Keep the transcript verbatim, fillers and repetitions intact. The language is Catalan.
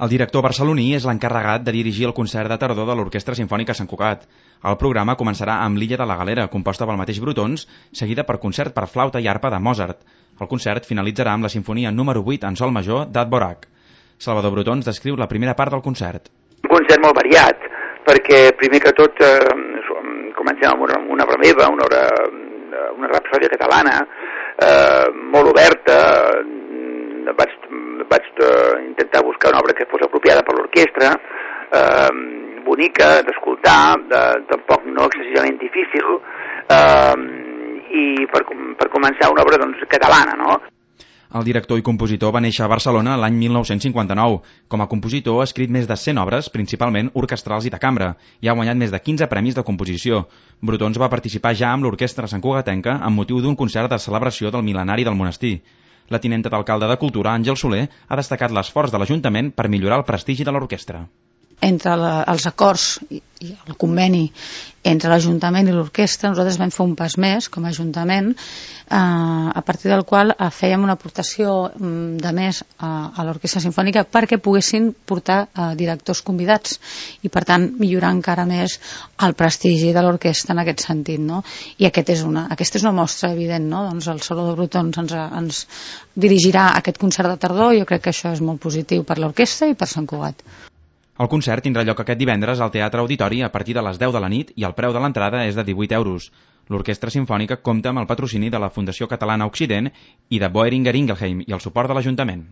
El director barceloní és l'encarregat de dirigir el concert de tardor de l'Orquestra Simfònica Sant Cugat. El programa començarà amb l'Illa de la Galera, composta pel mateix Brotons, seguida per concert per flauta i arpa de Mozart. El concert finalitzarà amb la sinfonia número vuit en sol major d'Advorak. Salvador Brotons descriu la primera part del concert. Un concert molt variat, perquè primer que tot eh, comencem amb una, una obra meva, una, obra, una rapsòdia catalana, eh, molt oberta. Vaig, vaig eh, intentar buscar una obra que fos apropiada per l'orquestra, eh, bonica d'escoltar, tampoc no excessivament difícil, eh, i per, per començar una obra doncs, catalana, no? El director i compositor va néixer a Barcelona l'any mil nou-cents cinquanta-nou. Com a compositor ha escrit més de cent obres, principalment orquestrals i de cambra, i ha guanyat més de quinze premis de composició. Brotons va participar ja amb l'Orquestra Santcugatenca amb motiu d'un concert de celebració del mil·lenari del monestir. La tinenta d'alcalde de Cultura, Àngel Soler, ha destacat l'esforç de l'Ajuntament per millorar el prestigi de l'orquestra. Entre la, els acords i, i el conveni entre l'Ajuntament i l'orquestra, nosaltres vam fer un pas més com a Ajuntament, eh, a partir del qual eh, fèiem una aportació mm, de més a, a l'Orquestra Simfònica perquè poguessin portar eh, directors convidats i per tant millorar encara més el prestigi de l'orquestra en aquest sentit, no? I aquest és una, aquesta és una mostra evident, no? Doncs el Salvador Brotons ens, ens dirigirà aquest concert de tardor i jo crec que això és molt positiu per l'orquestra i per Sant Cugat. El concert tindrà lloc aquest divendres al Teatre Auditori a partir de les deu de la nit i el preu de l'entrada és de divuit euros. L'Orquestra Simfònica compta amb el patrocini de la Fundació Catalana Occident i de Boehringer Ingelheim i el suport de l'Ajuntament.